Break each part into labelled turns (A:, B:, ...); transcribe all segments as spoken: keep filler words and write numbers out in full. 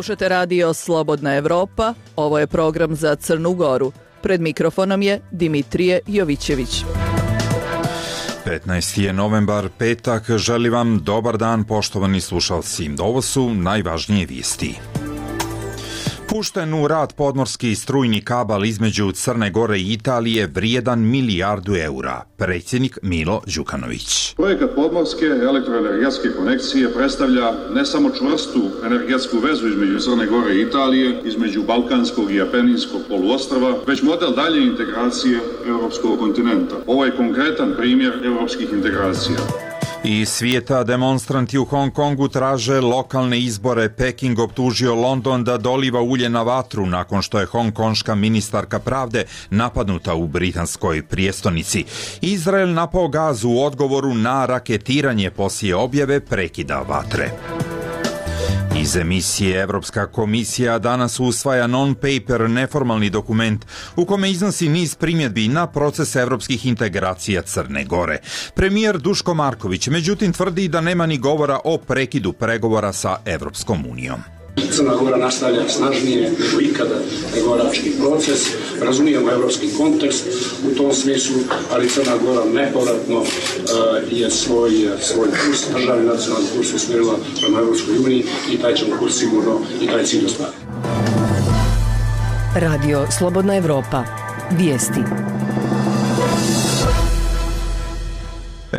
A: Slušate radio Slobodna Evropa, ovo je program za Crnu Goru. Pred mikrofonom je Dimitrije Jovićević.
B: petnaesti je novembar, petak, želi vam dobar dan poštovani slušalci. Ovo su najvažnije vijesti. Pušten u rad podmorski strujni kabal između Crne Gore i Italije vrijedan milijardu eura. Predsjednik Milo Đukanović.
C: Projekat podmorske elektroenergetske konekcije predstavlja ne samo čvrstu energetsku vezu između Crne Gore i Italije, između Balkanskog i Apeninskog poluostrva, već model dalje integracije europskog kontinenta. Ovo je konkretan primjer europskih integracija.
B: Iz svijeta demonstranti u Hong Kongu traže lokalne izbore. Peking optužio London da doliva ulje na vatru nakon što je hongkonška ministarka pravde napadnuta u britanskoj prijestolnici. Izrael napao Gazu u odgovoru na raketiranje poslije objave prekida vatre. Iz emisije Evropska komisija danas usvaja non-paper, neformalni dokument u kome iznosi niz primjedbi na proces evropskih integracija Crne Gore. Premijer Duško Marković međutim tvrdi da nema ni govora o prekidu pregovora sa Evropskom unijom.
D: Crna Gora nastavlja snažnije nego ikada pregovarački proces, razumijemo evropski kontekst u tom smislu, ali Crna Gora nepovratno uh, je svoj, svoj kurs, državni nacionalni kurs usmjerila prema Evropskoj uniji i taj ćemo kurs sigurno i taj cilj ostvariti.
E: Radio Slobodna Evropa. Vijesti.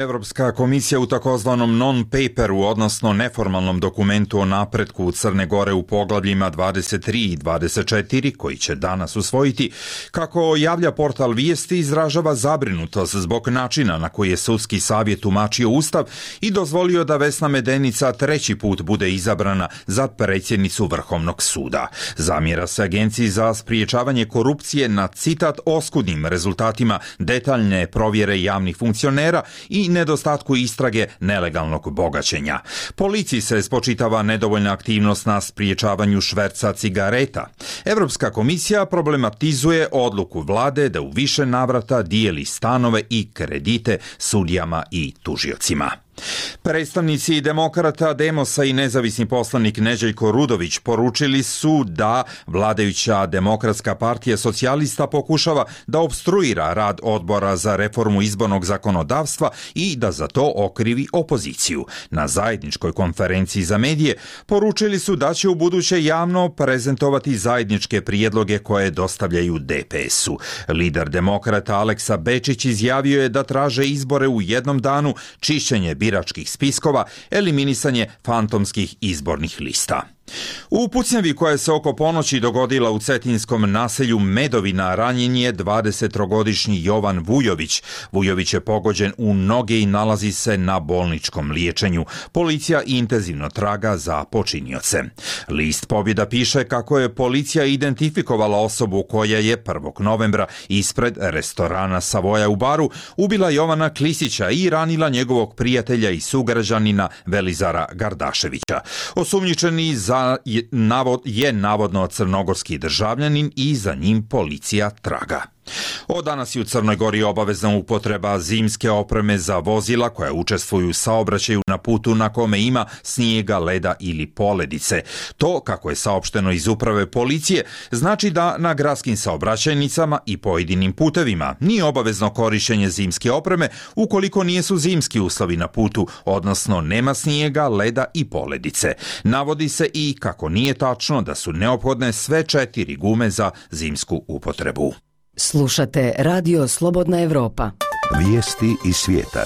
B: Evropska komisija u takozvanom non-paperu, odnosno neformalnom dokumentu o napretku Crne Gore u poglavljima dvadeset tri i dvadeset četiri, koji će danas usvojiti, kako javlja portal Vijesti, izražava zabrinutost zbog načina na koji je sudski savjet tumačio Ustav i dozvolio da Vesna Medenica treći put bude izabrana za predsjednicu Vrhovnog suda. Zamjera se Agenciji za spriječavanje korupcije na, citat, oskudnim rezultatima detaljne provjere javnih funkcionera i i nedostatku istrage nelegalnog bogaćenja. Policiji se spočitava nedovoljna aktivnost na spriječavanju šverca cigareta. Evropska komisija problematizuje odluku vlade da u više navrata dijeli stanove i kredite sudijama i tužiocima. Predstavnici demokrata, Demosa i nezavisni poslanik Neđeljko Rudović poručili su da vladajuća Demokratska partija socijalista pokušava da opstruira rad odbora za reformu izbornog zakonodavstva i da za to okrivi opoziciju. Na zajedničkoj konferenciji za medije poručili su da će u buduće javno prezentovati zajedničke prijedloge koje dostavljaju de pe esu. Lider demokrata Aleksa Bečić izjavio je da traže izbore u jednom danu, čišćenje biračkih spiskova, eliminisanje fantomskih izbornih lista. U pucnjavi koja se oko ponoći dogodila u cetinskom naselju Medovina ranjen je dvadesettrogodišnji Jovan Vujović. Vujović je pogođen u noge i nalazi se na bolničkom liječenju. Policija intenzivno traga za počinioce. List Pobjeda piše kako je policija identifikovala osobu koja je prvog novembra ispred restorana Savoja u Baru ubila Jovana Klisića i ranila njegovog prijatelja i sugrađanina Velizara Gardaševića. Osumnjičeni za je, navod, je navodno crnogorski državljanin i za njim policija traga. Od danas je u Crnoj Gori obavezna upotreba zimske opreme za vozila koja učestvuju u saobraćaju na putu na kome ima snijega, leda ili poledice. To, kako je saopšteno iz uprave policije, znači da na gradskim saobraćajnicama i pojedinim putevima nije obavezno korištenje zimske opreme ukoliko nisu zimski uslovi na putu, odnosno nema snijega, leda i poledice. Navodi se i kako nije tačno da su neophodne sve četiri gume za zimsku upotrebu.
E: Slušate Radio Slobodna Evropa.
F: Vijesti iz svijeta.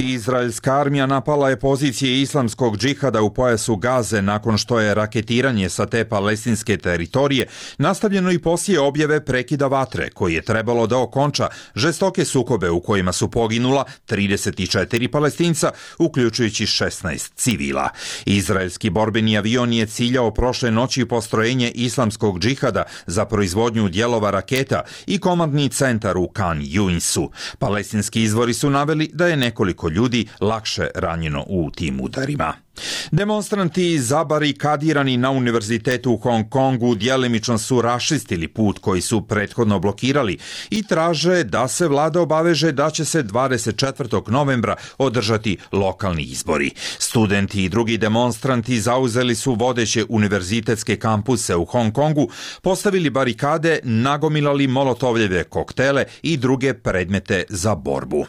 B: Izraelska armija napala je pozicije islamskog džihada u pojasu Gaze nakon što je raketiranje sa te palestinske teritorije nastavljeno i poslije objave prekida vatre koji je trebalo da okonča žestoke sukobe u kojima su poginula trideset četiri Palestinca, uključujući šesnaest civila. Izraelski borbeni avion je ciljao prošle noći postrojenje islamskog džihada za proizvodnju dijelova raketa i komandni centar u Khan Yuinsu. Palestinski izvori su naveli da je nekoliko ljudi lakše ranjeno u tim udarima. Demonstranti zabarikadirani na univerzitetu u Hong Kongu djelimično su raščistili put koji su prethodno blokirali i traže da se vlada obaveže da će se dvadeset četvrtog novembra održati lokalni izbori. Studenti i drugi demonstranti zauzeli su vodeće univerzitetske kampuse u Hong Kongu, postavili barikade, nagomilali molotovljeve koktele i druge predmete za borbu.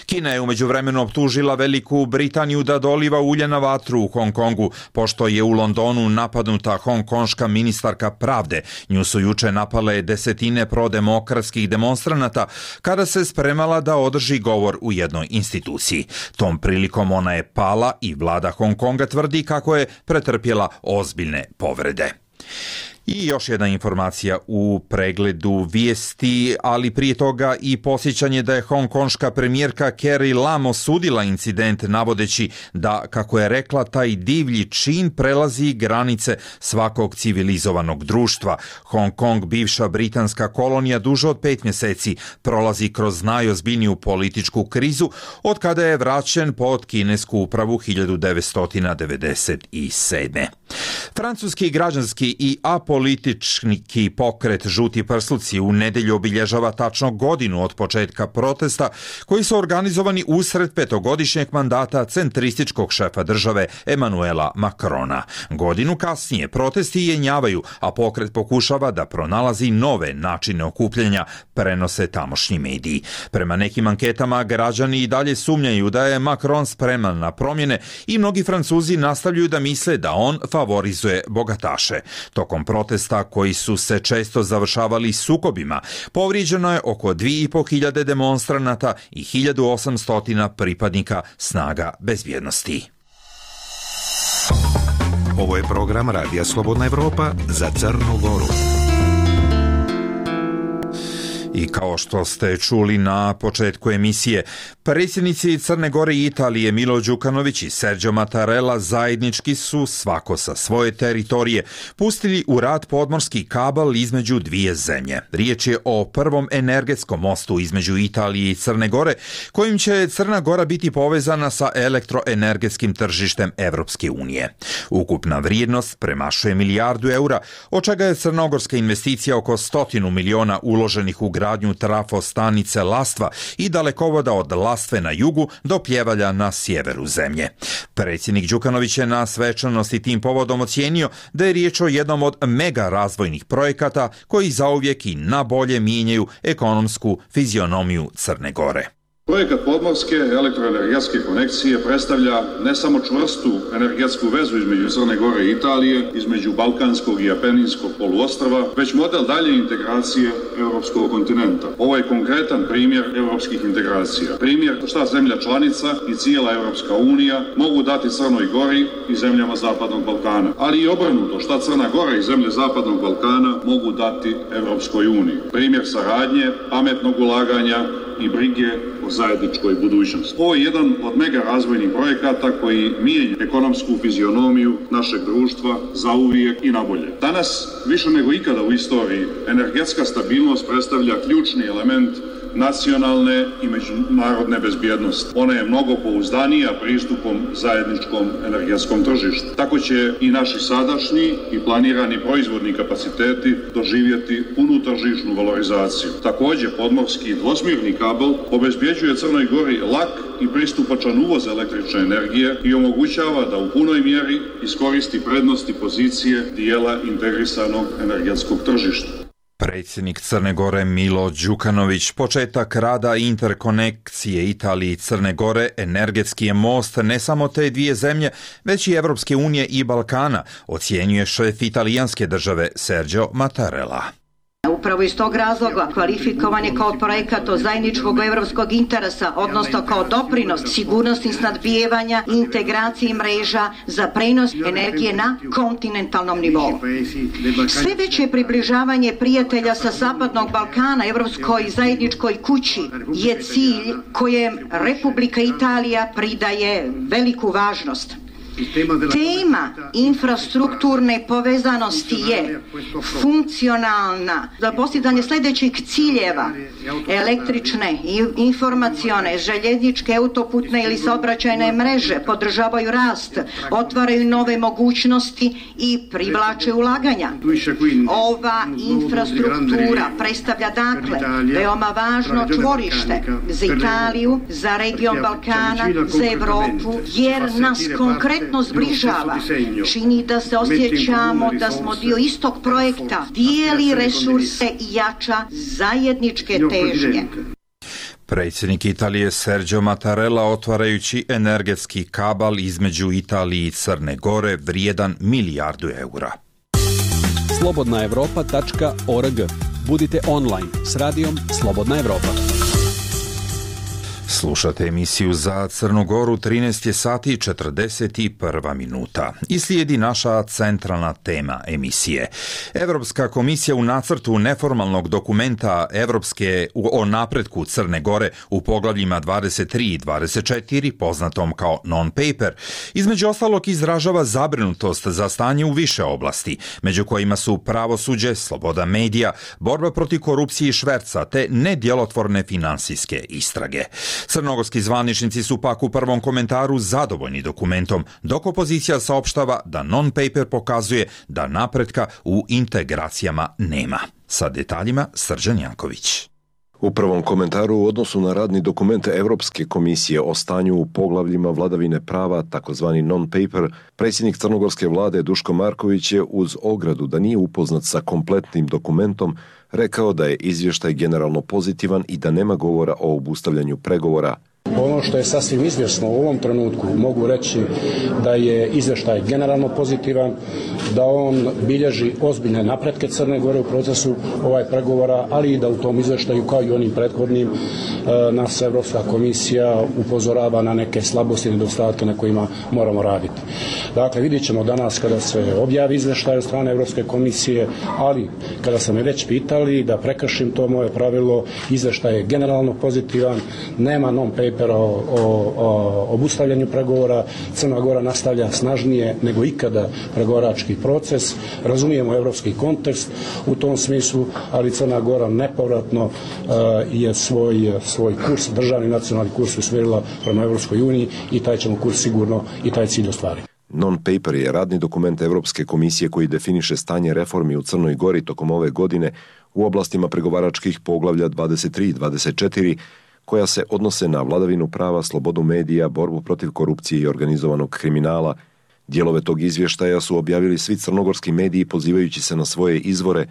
B: Kina je umeđu vremenu optužila Veliku Britaniju da doliva ulje na vatru u Hong Kongu, pošto je u Londonu napadnuta hongkonška ministarka pravde. Nju su juče napale desetine prodemokratskih demonstranata kada se spremala da održi govor u jednoj instituciji. Tom prilikom ona je pala i vlada Hong Konga tvrdi kako je pretrpjela ozbiljne povrede. I još jedna informacija u pregledu vijesti, ali prije toga i posjećanje da je hongkonška premijerka Carrie Lam osudila incident navodeći da, kako je rekla, taj divlji čin prelazi granice svakog civilizovanog društva. Hong Kong, bivša britanska kolonija, duže od pet mjeseci prolazi kroz najozbiljniju političku krizu od kada je vraćen pod kinesku upravu hiljadu devetsto devedeset sedme. Francuski građanski i apolitički pokret Žuti prsluci u nedjelju obilježava tačno godinu od početka protesta koji su organizovani usred petogodišnjeg mandata centrističkog šefa države Emmanuela Macrona. Godinu kasnije protesti jenjavaju, a pokret pokušava da pronalazi nove načine okupljanja, prenose tamošnji mediji. Prema nekim anketama građani i dalje sumnjaju da je Macron spreman na promjene i mnogi Francuzi nastavljaju da misle da on favorizuje bogataše. Tokom protesta koji su se često završavali sukobima, povrijeđeno je oko dvije i pol hiljade demonstranata i hiljadu osamsto pripadnika snaga bezbjednosti.
F: Ovo je program Radija Slobodna Evropa za Crnu Goru.
B: I kao što ste čuli na početku emisije, predsjednici Crne Gore i Italije Milo Đukanović i Sergio Mattarella zajednički su, svako sa svoje teritorije, pustili u rad podmorski kabel između dvije zemlje. Riječ je o prvom energetskom mostu između Italije i Crne Gore, kojim će Crna Gora biti povezana sa elektroenergetskim tržištem Evropske unije. Ukupna vrijednost premašuje milijardu eura, od čega je crnogorska investicija oko stotinu miliona uloženih u gradnju trafostanice Lastva i dalekovoda od Lastve na jugu do Pljevalja na sjeveru zemlje. Predsjednik Đukanović je na svečanosti tim povodom ocijenio da je riječ o jednom od mega razvojnih projekata koji zauvijek i na bolje mijenjaju ekonomsku fizionomiju Crne Gore.
C: Projekat podmorske elektroenergetske konekcije predstavlja ne samo čvrstu energetsku vezu između Crne Gore i Italije, između Balkanskog i Apeninskog poluostrva, već model dalje integracije europskog kontinenta. Ovo je konkretan primjer europskih integracija. Primjer šta zemlja članica i cijela Europska unija mogu dati Crnoj Gori i zemljama Zapadnog Balkana, ali i obrnuto šta Crna Gora i zemlje Zapadnog Balkana mogu dati Europskoj uniji. Primjer saradnje, pametnog ulaganja i brige o zajedničkoj budućnosti. Ovo je jedan od mega razvojnih projekata koji mijenja ekonomsku fizionomiju našeg društva zauvijek i nabolje. Danas, više nego ikada u istoriji, energetska stabilnost predstavlja ključni element nacionalne i međunarodne bezbjednosti. Ona je mnogo pouzdanija pristupom zajedničkom energetskom tržištu. Tako će i naši sadašnji i planirani proizvodni kapaciteti doživjeti punu tržišnu valorizaciju. Također, podmorski dvosmjerni kabel obezbjeđuje Crnoj Gori lak i pristupačan uvoz električne energije i omogućava da u punoj mjeri iskoristi prednosti pozicije dijela integrisanog energetskog tržišta.
B: Predsjednik Crne Gore Milo Đukanović. Početak rada interkonekcije Italije i Crne Gore energetski je most ne samo te dvije zemlje, već i Evropske unije i Balkana, ocjenjuje šef italijanske države Sergio Mattarella.
G: Upravo iz tog razloga kvalifikovan je kao projekat od zajedničkog evropskog interesa, odnosno kao doprinos sigurnosti snadbijevanja i integraciji mreža za prenos energije na kontinentalnom nivou. Sve veće približavanje prijatelja sa Zapadnog Balkana evropskoj zajedničkoj kući je cilj kojem Republika Italija pridaje veliku važnost. Tema infrastrukturne povezanosti je funkcionalna za postizanje sljedećih ciljeva: električne, informacione, željezničke, autoputne ili saobraćajne mreže podržavaju rast, otvaraju nove mogućnosti i privlače ulaganja. Ova infrastruktura predstavlja dakle veoma važno čvorište za Italiju, za region Balkana, za Evropu, jer nas konkretno zbližava. Čini da se osjećamo da smo dio istog projekta, dijeli resurse i jača zajedničke težnje.
B: Predsjednik Italije Sergio Mattarella otvarajući energetski kabal između Italije i Crne Gore vrijedan milijardu eura.
H: slobodna evropa tačka org. Budite online s radijom Slobodna Evropa.
B: Slušate emisiju za Crnu Goru, trinaest je sati i četrdeset jedna minuta. I slijedi naša centralna tema emisije. Evropska komisija u nacrtu neformalnog dokumenta Evropske o napretku Crne Gore u poglavljima dvadeset tri i dvadeset četiri, poznatom kao non-paper, između ostalog izražava zabrinutost za stanje u više oblasti, među kojima su pravosuđe, sloboda medija, borba protiv korupcije i šverca te nedjelotvorne finansijske istrage. Crnogorski zvaničnici su pak u prvom komentaru zadovoljni dokumentom, dok opozicija saopštava da non-paper pokazuje da napretka u integracijama nema. Sa detaljima Srđan Janković.
I: U prvom komentaru u odnosu na radni dokument Evropske komisije o stanju u poglavljima vladavine prava, takozvani non-paper, predsjednik crnogorske vlade Duško Marković je uz ogradu da nije upoznat sa kompletnim dokumentom rekao da je izvještaj generalno pozitivan i da nema govora o obustavljanju pregovora.
D: Ono što je sasvim izvjesno u ovom trenutku, mogu reći da je izvještaj generalno pozitivan, da on bilježi ozbiljne napretke Crne Gore u procesu ovaj pregovora, ali i da u tom izvještaju, kao i onim prethodnim, nas Evropska komisija upozorava na neke slabosti i nedostatke na kojima moramo raditi. Dakle, vidjet ćemo danas kada se objavi izvještaj od strane Evropske komisije, ali kada sam me već pitali da prekršim to moje pravilo, izvještaj je generalno pozitivan, nema non-paper o, o, o obustavljanju pregovora, Crna Gora nastavlja snažnije nego ikada pregovarački proces, razumijemo evropski kontekst u tom smislu, ali Crna Gora nepovratno uh, je svoj, svoj kurs, državni nacionalni kurs usmjerila prema Evropskoj uniji i taj ćemo kurs sigurno i taj cilj ostvariti.
I: Non-paper je radni dokument Evropske komisije koji definiše stanje reformi u Crnoj Gori tokom ove godine u oblastima pregovaračkih poglavlja dvadeset tri i dvadeset četiri, koja se odnose na vladavinu prava, slobodu medija, borbu protiv korupcije i organizovanog kriminala. Dijelove tog izvještaja su objavili svi crnogorski mediji pozivajući se na svoje izvore.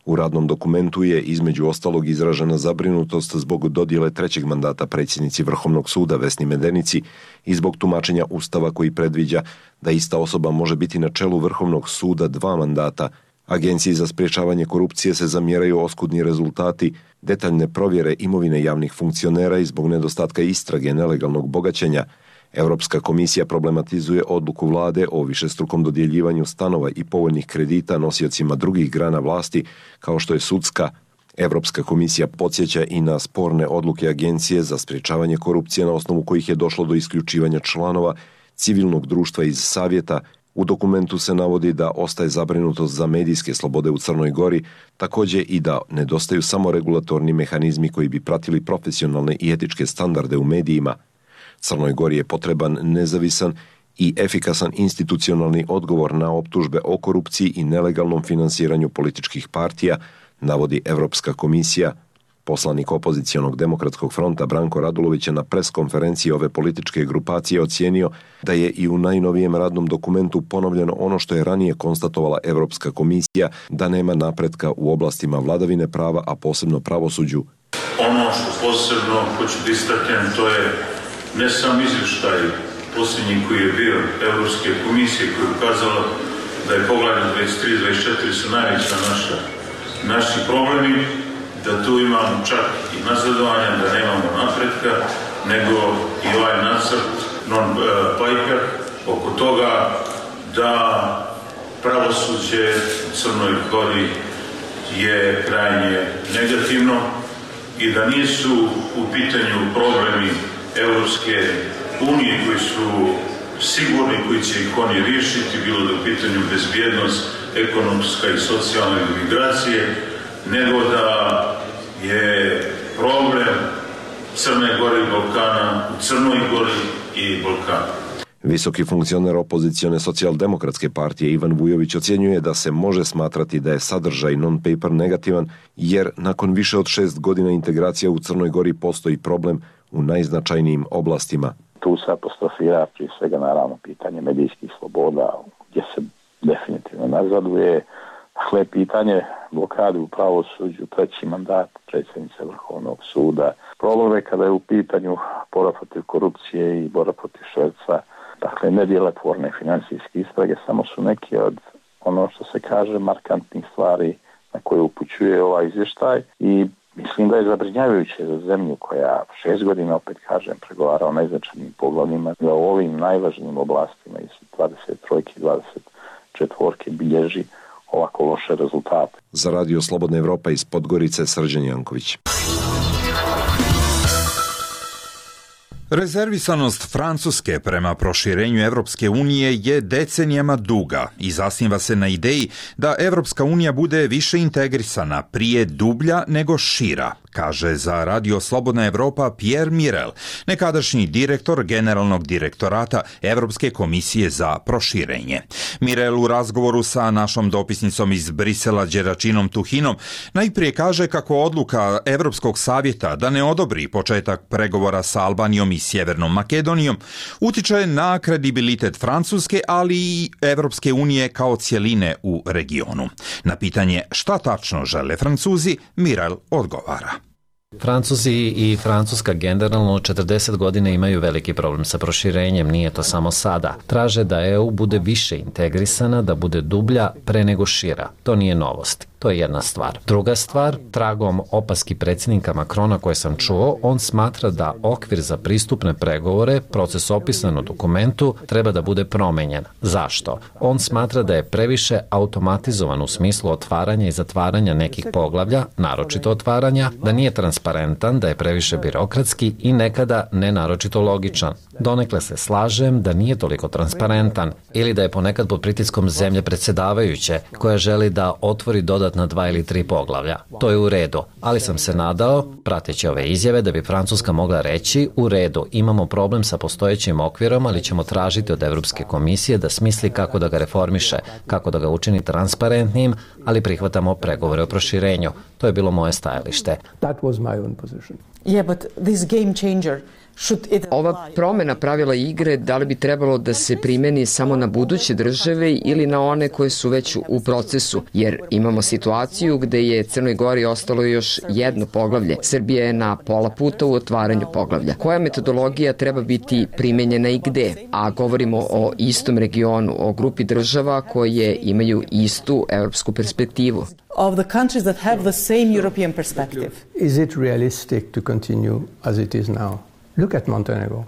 I: U radnom dokumentu je između ostalog izražena zabrinutost zbog dodjele trećeg mandata predsjednici Vrhovnog suda Vesni Medenici i zbog tumačenja Ustava koji predviđa da ista osoba može biti na čelu Vrhovnog suda dva mandata. Agenciji za sprječavanje korupcije se zamjeraju oskudni rezultati, detaljne provjere imovine javnih funkcionera i zbog nedostatka istrage nelegalnog bogaćenja. Europska komisija problematizuje odluku vlade o višestrukom dodjeljivanju stanova i povoljnih kredita nosiocima drugih grana vlasti, kao što je sudska. Europska komisija podsjeća i na sporne odluke Agencije za sprječavanje korupcije na osnovu kojih je došlo do isključivanja članova civilnog društva iz savjeta. U dokumentu se navodi da ostaje zabrinutost za medijske slobode u Crnoj Gori, također i da nedostaju samo regulatorni mehanizmi koji bi pratili profesionalne i etičke standarde u medijima. Crnoj Gori je potreban nezavisan i efikasan institucionalni odgovor na optužbe o korupciji i nelegalnom finansiranju političkih partija, navodi Evropska komisija. Poslanik opozicionog demokratskog fronta Branko Radulović je na preskonferenciji ove političke grupacije ocijenio da je i u najnovijem radnom dokumentu ponovljeno ono što je ranije konstatovala Evropska komisija, da nema napretka u oblastima vladavine prava, a posebno pravosuđu.
J: Ono što posebno hoću da istaknem, to je ne sam izvještaj posljednji koji je bio Evropske komisije koji je ukazala da je poglavlje dvadeset tri i dvadeset četiri su najveća naša, naši problemi, da tu imamo čak i nazadovanja, da nemamo napretka, nego i ovaj nacrt non-paper oko toga da pravosuđe u Crnoj Gori je krajnje negativno i da nisu u pitanju problemi Evropske unije koji su sigurni koji će ih oni riješiti, bilo da u pitanju bezbjednost, ekonomska i socijalna migracije, nego da je problem Crne Gore i Balkana u Crnoj Gori i Balkanu.
I: Visoki funkcioner opozicione socijaldemokratske partije Ivan Vujović ocjenjuje da se može smatrati da je sadržaj non-paper negativan, jer nakon više od šest godina integracija u Crnoj Gori postoji problem u najznačajnijim oblastima.
K: Tu se apostrofira prije svega naravno pitanje medijskih sloboda, gdje se definitivno nazaduje. Dakle, pitanje blokade u pravosuđu, treći mandat predsjednice Vrhovnog suda. Problem je kada je u pitanju borba protiv korupcije i borba protiv šverca. Dakle, nedjelotvorne financijske istrage samo su neki od ono što se kaže markantnih stvari na koje upućuje ovaj izvještaj i mislim da je zabrinjavajuće za zemlju koja šest godina, opet kažem, pregovara o najznačajnijim poglavljima, da u ovim najvažnijim oblastima iz dvadeset tri i dvadeset četiri bilježi ovako loše rezultate.
I: Za Radio Slobodna Evropa iz Podgorice, Srđan Janković.
B: Rezervisanost Francuske prema proširenju Evropske unije je decenijama duga i zasniva se na ideji da Evropska unija bude više integrisana, prije dublja nego šira, kaže za Radio Slobodna Evropa Pierre Mirel, nekadašnji direktor Generalnog direktorata Evropske komisije za proširenje. Mirel u razgovoru sa našom dopisnicom iz Brisela Đeračinom Tuhinom najprije kaže kako odluka Evropskog savjeta da ne odobri početak pregovora sa Albanijom i Sjevernom Makedonijom utiče na kredibilitet Francuske, ali i Evropske unije kao cjeline u regionu. Na pitanje šta tačno žele Francuzi, Mirel odgovara.
L: Francuzi i Francuska generalno četrdeset godina imaju veliki problem sa proširenjem, nije to samo sada. Traže da E U bude više integrisana, da bude dublja pre nego šira. To nije novost. To je jedna stvar. Druga stvar, tragom opaski predsjednika Macrona koje sam čuo, on smatra da okvir za pristupne pregovore, proces opisan u dokumentu, treba da bude promenjen. Zašto? On smatra da je previše automatizovan u smislu otvaranja i zatvaranja nekih poglavlja, naročito otvaranja, da nije transparentan, da je previše birokratski i nekada ne naročito logičan. Donekle se slažem da nije toliko transparentan ili da je ponekad pod pritiskom zemlje predsjedavajuće koja želi da otvori dodatna dva ili tri poglavlja. To je u redu, ali sam se nadao, prateći ove izjave, da bi Francuska mogla reći u redu, imamo problem sa postojećim okvirom, ali ćemo tražiti od Evropske komisije da smisli kako da ga reformiše, kako da ga učini transparentnim, ali prihvatamo pregovore o proširenju. To je bilo moje stajalište.
M: That was my own position.
N: Yeah, but this game changer
O: Ova promjena pravila igre da li bi trebalo da se primeni samo na buduće države ili na one koje su već u procesu, jer imamo situaciju gde je Crnoj Gori ostalo još jedno poglavlje. Srbija je na pola puta u otvaranju poglavlja. Koja metodologija treba biti primenjena i gde? A govorimo o istom regionu, o grupi država koje imaju istu evropsku perspektivu.
N: Of the countries that have the same European perspective.
M: Is it realistic to continue as it is now? Look at Montenegro.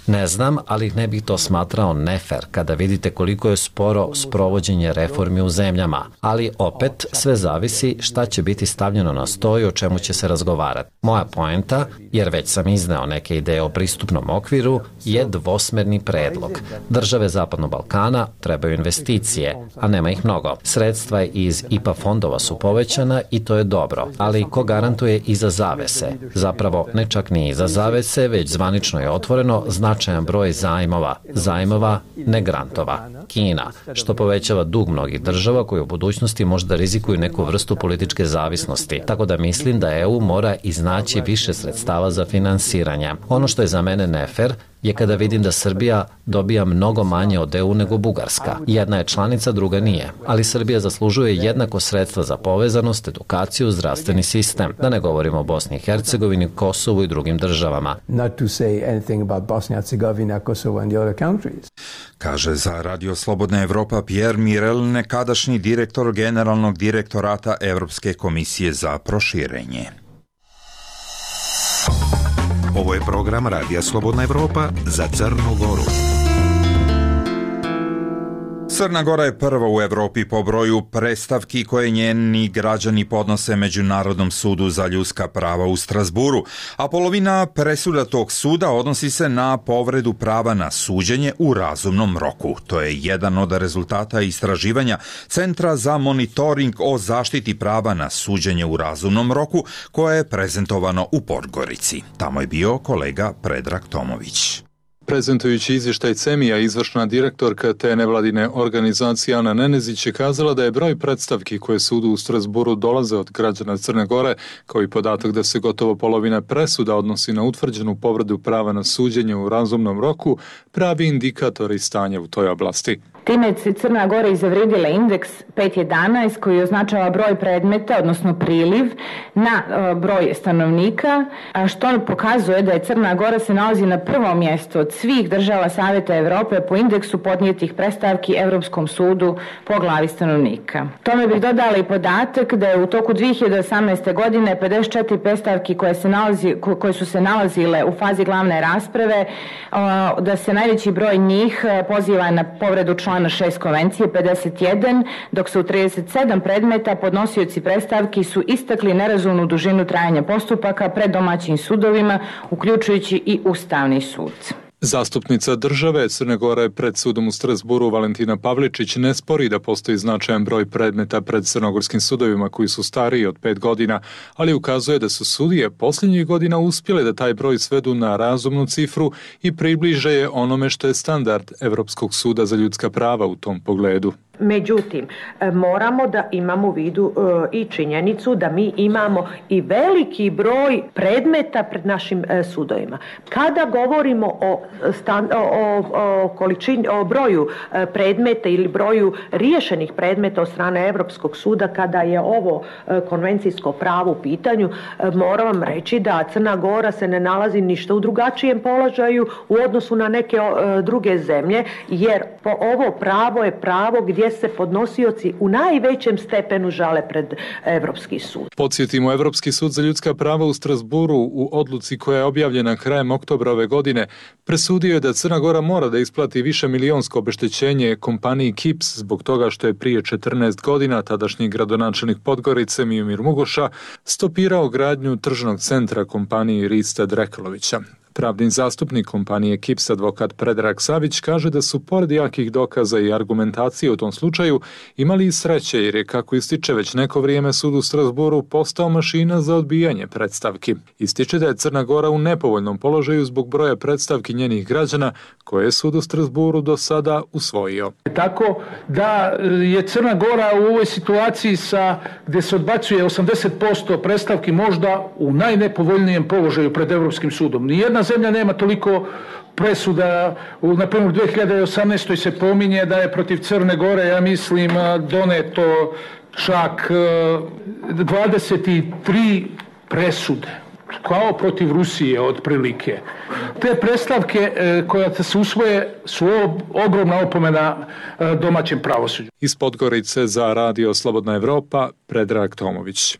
L: Ne znam, ali ne bih to smatrao nefer kada vidite koliko je sporo sprovođenje reformi u zemljama. Ali opet sve zavisi šta će biti stavljeno na sto i o čemu će se razgovarati. Moja poenta, jer već sam izneo neke ideje o pristupnom okviru, je dvosmerni predlog. Države Zapadnog Balkana trebaju investicije, a nema ih mnogo. Sredstva iz I P A fondova su povećana i to je dobro, ali ko garantuje iza zavese? Zapravo ne čak ni iza zavese, već zvanično je otvoreno značajan broj zajmova, zajmova, ne grantova. Kina, što povećava dug mnogih država koji u budućnosti možda rizikuju neku vrstu političke zavisnosti. Tako da mislim da E U mora iznaći više sredstava za finansiranje. Ono što je za mene nefer je kada vidim da Srbija dobija mnogo manje od E U nego Bugarska. Jedna je članica, druga nije. Ali Srbija zaslužuje jednako sredstva za povezanost, edukaciju, zdravstveni sistem. Da ne govorimo o Bosni i Hercegovini, Kosovu i drugim državama.
M: Not to say anything about Bosnia, Herzegovina, Kosovo and the other countries.
B: Kaže za Radio Slobodna Evropa Pierre Mirel, nekadašnji direktor Generalnog direktorata Evropske komisije za proširenje.
F: Ovo je program Radija Slobodna Evropa za Crnu Goru.
B: Crna Gora je prva u Evropi po broju predstavki koje njeni građani podnose Međunarodnom sudu za ljudska prava u Strazburu, a polovina presuda tog suda odnosi se na povredu prava na suđenje u razumnom roku. To je jedan od rezultata istraživanja Centra za monitoring o zaštiti prava na suđenje u razumnom roku, koje je prezentovano u Podgorici. Tamo je bio kolega Predrag Tomović.
P: Prezentujući izvještaj CEMIA, izvršna direktorka te nevladine organizacije Ana Nenezić je kazala da je broj predstavki koje sudu u Strazburu dolaze od građana Crne Gore, kao i podatak da se gotovo polovina presuda odnosi na utvrđenu povredu prava na suđenje u razumnom roku, pravi indikatori stanja u toj oblasti.
Q: Time je Crna Gora izavredila indeks pet jedanaest koji označava broj predmeta, odnosno priliv na broj stanovnika, a što pokazuje da je Crna Gora se nalazi na prvom mjestu od svih država Saveta Evrope po indeksu podnijetih predstavki Evropskom sudu po glavi stanovnika. Tome bih dodala i podatak da je u toku dvije hiljade osamnaeste. godine pedeset četiri predstavki koje, se nalazi, koje su se nalazile u fazi glavne rasprave, da se najveći broj njih poziva na povredu člana na šest konvencije, pedeset jedan, dok se u trideset sedam predmeta podnosioci predstavki su istakli nerazumnu dužinu trajanja postupaka pred domaćim sudovima, uključujući i Ustavni sud.
P: Zastupnica države Crne Gore pred sudom u Strazburu Valentina Pavličić ne spori da postoji značajan broj predmeta pred crnogorskim sudovima koji su stariji od pet godina, ali ukazuje da su sudije posljednjih godina uspjele da taj broj svedu na razumnu cifru i približe je onome što je standard Evropskog suda za ljudska prava u tom pogledu.
R: Međutim, moramo da imamo u vidu e, i činjenicu da mi imamo i veliki broj predmeta pred našim e, sudovima. Kada govorimo o, stan, o, o, količini, o broju e, predmeta ili broju riješenih predmeta od strane Evropskog suda, kada je ovo e, konvencijsko pravo u pitanju, e, moram vam reći da Crna Gora se ne nalazi ništa u drugačijem položaju u odnosu na neke e, druge zemlje, jer po ovo pravo je pravo gdje se podnosioci u najvećem stepenu žale pred Evropski sud.
P: Podsjetimo, Evropski sud za ljudska prava u Strazburu u odluci koja je objavljena krajem oktobra ove godine presudio je da Crna Gora mora da isplati više milionsko obeštećenje kompaniji Kips zbog toga što je prije četrnaest godina tadašnji gradonačelnik Podgorice Miomir Mugoša stopirao gradnju tržnog centra kompaniji Rista Drekalovića. Pravni zastupnik kompanije Kips, advokat Predrag Savić, kaže da su pored jakih dokaza i argumentacije u tom slučaju imali i sreće, jer je, kako ističe, već neko vrijeme sud u Strazburu postao mašina za odbijanje predstavki. Ističe da je Crna Gora u nepovoljnom položaju zbog broja predstavki njenih građana koje je sud u Strazburu do sada usvojio.
S: Tako da je Crna Gora u ovoj situaciji sa, gdje se odbacuje osamdeset posto predstavki možda u najnepovoljnijem položaju pred Evropskim sudom. Nijedna zemlja nema toliko presuda. Na primjer, u dvije hiljade osamnaestoj. se pominje da je protiv Crne Gore, ja mislim, doneto čak dvadeset tri presude, kao protiv Rusije otprilike. Te predstavke koje se usvoje su ogromna opomena domaćem pravosuđu.
P: Iz Podgorice za Radio Slobodna Evropa, Predrag Tomović.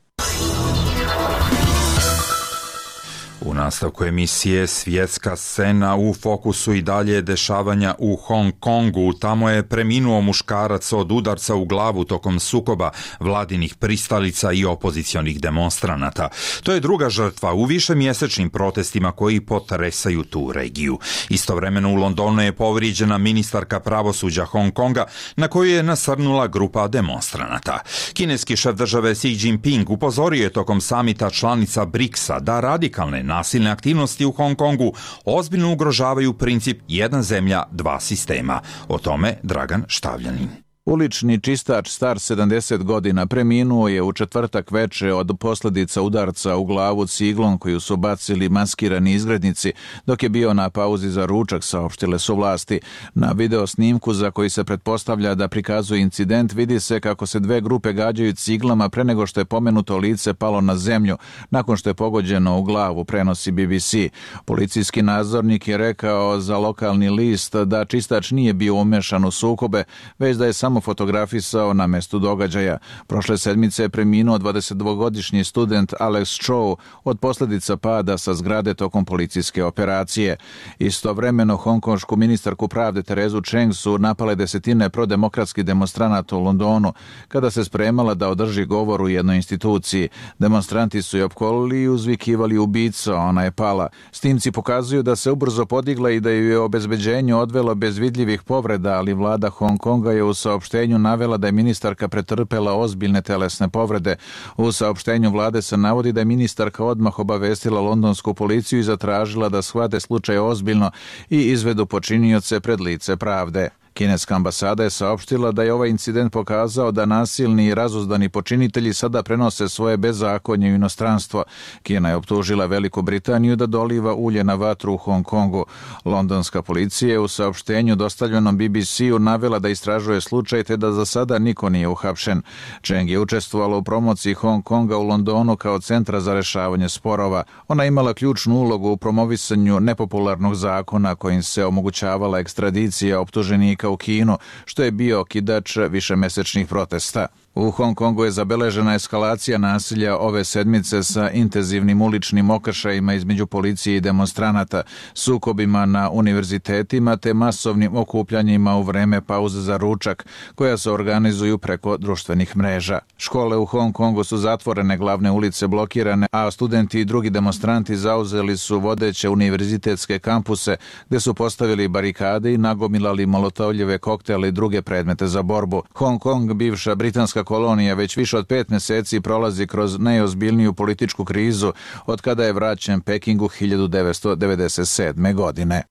B: U nastavku emisije Svjetska scena, u fokusu i dalje dešavanja u Hong Kongu. Tamo je preminuo muškarac od udarca u glavu tokom sukoba vladinih pristalica i opozicionih demonstranata. To je druga žrtva u višemjesečnim protestima koji potresaju tu regiju. Istovremeno u Londonu je povrijeđena ministarka pravosuđa Hong Konga, na koju je nasrnula grupa demonstranata. Kineski šef države Xi Jinping upozorio je tokom samita članica briksa da radikalne nasilne aktivnosti u Hong Kongu ozbiljno ugrožavaju princip jedna zemlja, dva sistema. O tome Dragan Štavljanin.
T: Ulični čistač star sedamdeset godina preminuo je u četvrtak veče od posljedica udarca u glavu ciglom koju su bacili maskirani izgrednici dok je bio na pauzi za ručak, saopštile su vlasti. Na video snimku za koji se pretpostavlja da prikazuje incident vidi se kako se dve grupe gađaju ciglama pre nego što je pomenuto lice palo na zemlju nakon što je pogođeno u glavu, prenosi B B C. Policijski nadzornik je rekao za lokalni list da čistač nije bio umešan u sukobe, već da je samo samo fotografisao na mestu događaja. Prošle sedmice je preminuo dvadesetdvogodišnji student Alex Chow od posljedica pada sa zgrade tokom policijske operacije. Istovremeno hongkonšku ministarku pravde Terezu Cheng su napale desetine prodemokratskih demonstranata u Londonu kada se spremala da održi govor u jednoj instituciji. Demonstranti su je opkolili i uzvikivali ubica, ona je pala. Snimci pokazuju da se ubrzo podigla i da ju je obezbeđenju odvelo bez vidljivih povreda, ali vlada Hong Konga je u saopštenju navela da je ministarka pretrpela ozbiljne telesne povrede. U saopštenju vlade se navodi da je ministarka odmah obavestila londonsku policiju i zatražila da shvate slučaj ozbiljno i izvedu počinioce pred lice pravde. Kineska ambasada je saopštila da je ovaj incident pokazao da nasilni i razuzdani počinitelji sada prenose svoje bezakonje u inostranstvo. Kina je optužila Veliku Britaniju da doliva ulje na vatru u Hong Kongu. Londonska policija je u saopštenju dostavljenom B B C-u navela da istražuje slučaj te da za sada niko nije uhapšen. Cheng je učestvovala u promociji Hong Konga u Londonu kao centra za rešavanje sporova. Ona imala ključnu ulogu u promovisanju nepopularnog zakona kojim se omogućavala ekstradicija optuženika u Kinu, što je bio okidač višemesečnih protesta. U Hong Kongu je zabeležena eskalacija nasilja ove sedmice sa intenzivnim uličnim okršajima između policije i demonstranata, sukobima na univerzitetima te masovnim okupljanjima u vreme pauze za ručak, koja se organizuju preko društvenih mreža. Škole u Hong Kongu su zatvorene, glavne ulice blokirane, a studenti i drugi demonstranti zauzeli su vodeće univerzitetske kampuse, gde su postavili barikade i nagomilali molotovljeve koktele i druge predmete za borbu. Hong Kong, bivša britanska kolonija, već više od pet meseci prolazi kroz najozbiljniju političku krizu od kada je vraćen Pekingu hiljadu devetsto devedeset sedme. godine.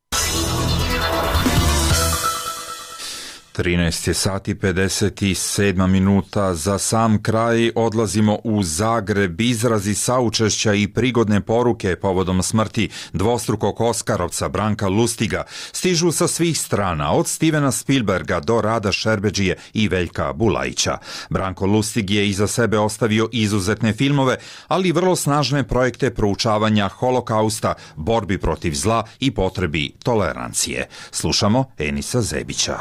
B: trinaest je sati pedeset sedam minuta. Za sam kraj odlazimo u Zagreb. Izrazi saučešća i prigodne poruke povodom smrti dvostrukog Oskarovca Branka Lustiga stižu sa svih strana, od Stevena Spielberga do Rada Šerbedžije i Veljka Bulajića. Branko Lustig je iza sebe ostavio izuzetne filmove, ali i vrlo snažne projekte proučavanja holokausta, borbi protiv zla i potrebi tolerancije. Slušamo Enisa Zebića.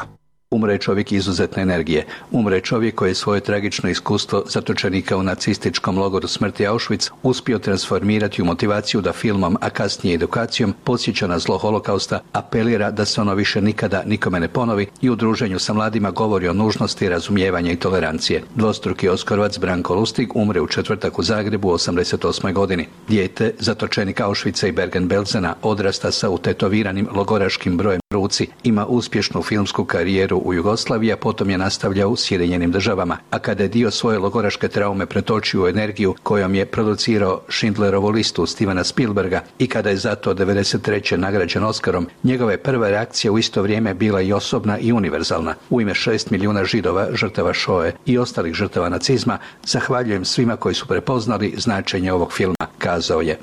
U: Umre čovjek izuzetne energije. Umre čovjek koji je svoje tragično iskustvo zatočenika u nacističkom logoru smrti Auschwitz uspio transformirati u motivaciju da filmom, a kasnije edukacijom, podsjeća na zlo holokausta, apelira da se ono više nikada nikome ne ponovi i u druženju sa mladima govori o nužnosti razumijevanja i tolerancije. Dvostruki Oskarovac Branko Lustig umre u četvrtak u Zagrebu u osamdeset osmoj. godini. Dijete, zatočenik Auschwitza i Bergen-Belsena, odrasta sa utetoviranim logoraškim brojem ruci, ima uspješnu filmsku karijeru u Jugoslaviji, a potom je nastavljao u Sjedinjenim državama. A kada je dio svoje logoraške traume pretočio u energiju kojom je producirao Schindlerovu listu Stevena Spielberga i kada je zato devedeset treće nagrađen Oskarom, njegova je prva reakcija u isto vrijeme bila i osobna i univerzalna. U ime šest milijuna Židova, žrtava Šoe i ostalih žrtava nacizma, zahvaljujem svima koji su prepoznali značenje ovog filma, kazao je.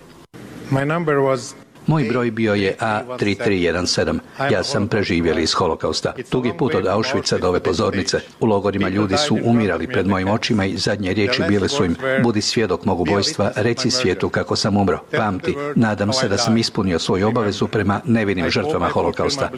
V: My number was
U: Moj broj bio je A tri tri jedan sedam. Ja sam preživjeli iz holokausta. Dugi put od Auschwitza do ove pozornice. U logorima ljudi su umirali pred mojim očima i zadnje riječi bile su im: budi svjedok mog ubojstva, reci svijetu kako sam umro. Pamti, nadam se da sam ispunio svoju obavezu prema nevinim žrtvama holokausta.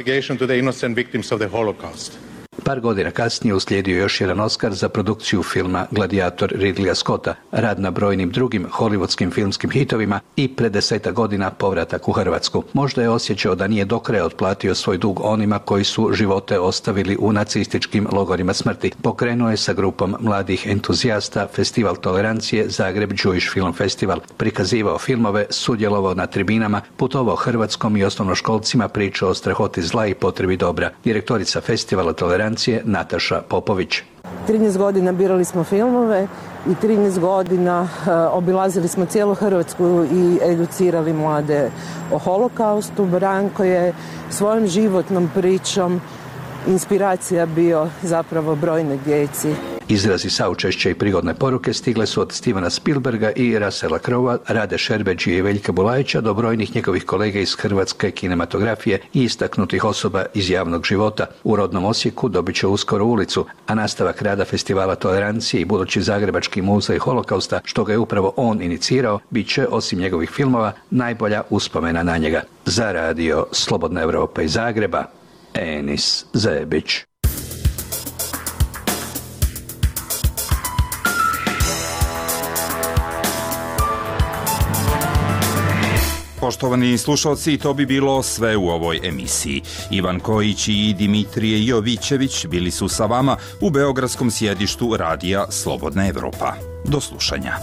U: Par godina kasnije uslijedio još jedan Oskar za produkciju filma Gladiator Ridleya Scotta, rad na brojnim drugim hollywoodskim filmskim hitovima i pred desetak godina povratak u Hrvatsku. Možda je osjećao da nije do kraja otplatio svoj dug onima koji su živote ostavili u nacističkim logorima smrti. Pokrenuo je sa grupom mladih entuzijasta Festival tolerancije Zagreb Jewish Film Festival, prikazivao filmove, sudjelovao na tribinama, putovao Hrvatskom i osnovnoškolcima, pričao o strahoti zla i potrebi dobra. Direktorica Festivala tolerancije Nataša Popović.
W: trinaest godina birali smo filmove i trinaest godina uh, obilazili smo cijelu Hrvatsku i educirali mlade o holokaustu. Branko je svojom životnom pričom inspiracija bio zapravo brojne djeci.
U: Izrazi saučešća i prigodne poruke stigle su od Stevena Spielberga i Russella Crowe, Rade Šerbedžije i Veljka Bulajića do brojnih njegovih kolega iz hrvatske kinematografije i istaknutih osoba iz javnog života. U rodnom Osijeku dobit će uskoro ulicu, a nastavak rada Festivala tolerancije i budući Zagrebački muzej holokausta, što ga je upravo on inicirao, bit će, osim njegovih filmova, najbolja uspomena na njega. Za radio Slobodna Evropa iz Zagreba, Enis Zebić.
B: Poštovani slušalci, to bi bilo sve u ovoj emisiji. Ivan Kojić i Dimitrije Jovićević bili su sa vama u beogradskom sjedištu radija Slobodna Evropa. Do slušanja.